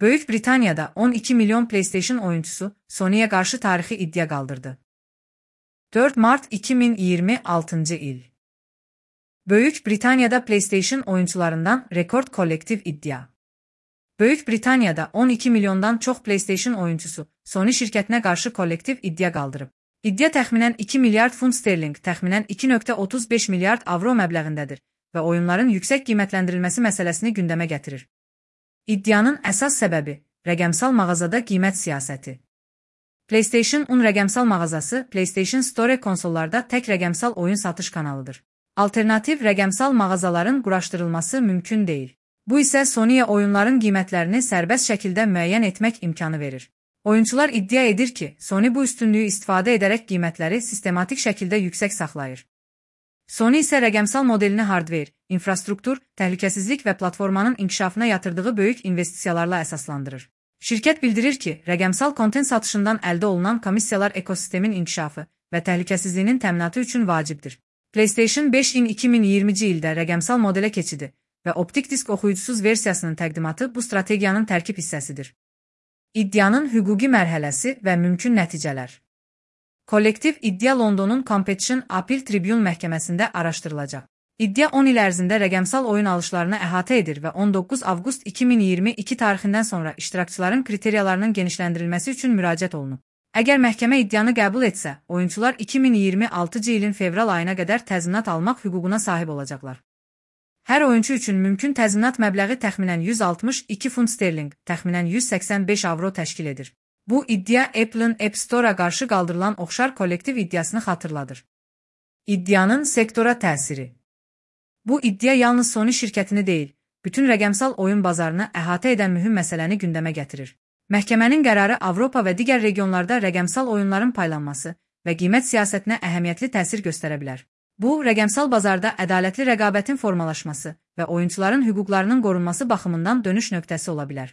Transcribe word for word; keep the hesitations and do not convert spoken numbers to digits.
Böyük Britaniyada on iki milyon PlayStation oyuncusu Sony'ye qarşı tarixi iddia qaldırdı. dörd mart iki min iyirmi altıncı il. Böyük Britaniyada PlayStation oyuncularından rekord kollektiv iddia. Böyük Britaniyada on iki milyondan çox PlayStation oyuncusu Sony şirkətinə qarşı kollektiv iddia qaldırıb. İddia təxminən iki milyard funt sterling, təxminən iki nöqtə otuz beş milyard avro məbləğindədir və oyunların yüksək qiymətləndirilməsi məsələsini gündəmə gətirir. İddianın əsas səbəbi rəqəmsal mağazada qiymət siyasəti. PlayStation on rəqəmsal mağazası PlayStation Store konsollarda tək rəqəmsal oyun satış kanalıdır. Alternativ rəqəmsal mağazaların quraşdırılması mümkün deyil. Bu isə Sony'yə oyunların qiymətlərini sərbəst şəkildə müəyyən etmək imkanı verir. Oyuncular iddia edir ki, Sony bu üstünlüyü istifadə edərək qiymətləri sistematik şəkildə yüksək saxlayır. Sony isə rəqəmsal modelini hardware, infrastruktur, təhlükəsizlik və platformanın inkişafına yatırdığı böyük investisiyalarla əsaslandırır. Şirkət bildirir ki, rəqəmsal kontent satışından əldə olunan komissiyalar ekosistemin inkişafı və təhlükəsizliyinin təminatı üçün vacibdir. PlayStation beş iki min iyirminci ildə rəqəmsal modelə keçidi və optik disk oxuyucusuz versiyasının təqdimatı bu strategiyanın tərkib hissəsidir. İddianın hüquqi mərhələsi və mümkün nəticələr. Kollektiv iddia Londonun Competition Appeal Tribune məhkəməsində araşdırılacaq. İddia on il ərzində rəqəmsal oyun alışlarını əhatə edir və on doqquz avqust iki min iyirmi iki tarixindən sonra iştirakçıların kriteriyalarının genişləndirilməsi üçün müraciət olunub. Əgər məhkəmə iddianı qəbul etsə, oyunçular iki min iyirmi altıncı ilin fevral ayına qədər təzminat almaq hüququna sahib olacaqlar. Hər oyuncu üçün mümkün təzminat məbləği təxminən yüz altmış iki funt sterling, təxminən yüz səksən beş avro təşkil edir. Bu iddia Apple'ın App Store-a qarşı qaldırılan oxşar kollektiv iddiasını xatırladır. İddianın sektora təsiri. Bu iddia yalnız Sony şirkətini deyil, bütün rəqəmsal oyun bazarını əhatə edən mühüm məsələni gündəmə gətirir. Məhkəmənin qərarı Avropa və digər regionlarda rəqəmsal oyunların paylanması və qiymət siyasətinə əhəmiyyətli təsir göstərə bilər. Bu, rəqəmsal bazarda ədalətli rəqabətin formalaşması və oyunçuların hüquqlarının qorunması baxımından dönüş nöqtəsi ola bilər.